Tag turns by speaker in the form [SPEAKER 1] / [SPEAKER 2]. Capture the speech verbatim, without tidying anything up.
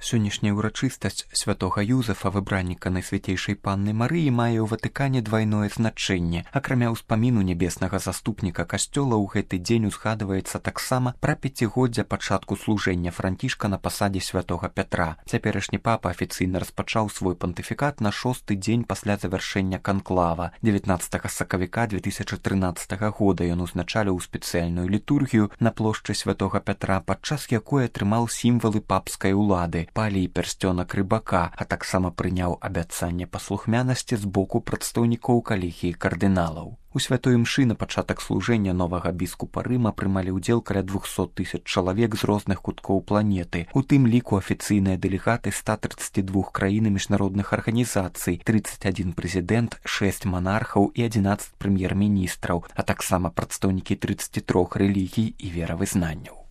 [SPEAKER 1] Сённяшняя ўрачыстасць святога Юзефа, выбранніка Найсвяцейшай Панны Марыі, мае ў Ватыкане двайное значэнне. Акрамя ўспаміну нябеснага заступніка касцёла, ў гэты дзень узгадваецца таксама пра пяцігоддзя пачатку служэння Францішка на пасадзе святога Пятра. Цяперашні папа афіцыйна распачаў свой пантыфікат на шосты дзень пасля завяршэння канклава. дзевятнаццатага сакавіка две тысячы трынаццатага года ён узначаліў спецыяльную літургію на плошчы святога Пятра, падчас якой атрымаў сімвалы папскай улады, палій пярсцёнак рыбака, а таксама прыняў абяцанне паслухмянасці з боку прадстаўнікоў калегіі кардыналаў. У святой імшы на пачатак служэння новага біскупа Рыма прымалі ўдзел каля двухсот тысяч чалавек з розных куткоў планеты, у тым ліку афіцыйныя дэлегаты ста трыццаці двух краін і міжнародных арганізацый, трыццаць адзін прэзідэнт, шэсць манархаў і адзінаццаць прэм'ер-міністраў, а таксама прадстаўнікі трыццаці трох рэлігій і веравызнанняў.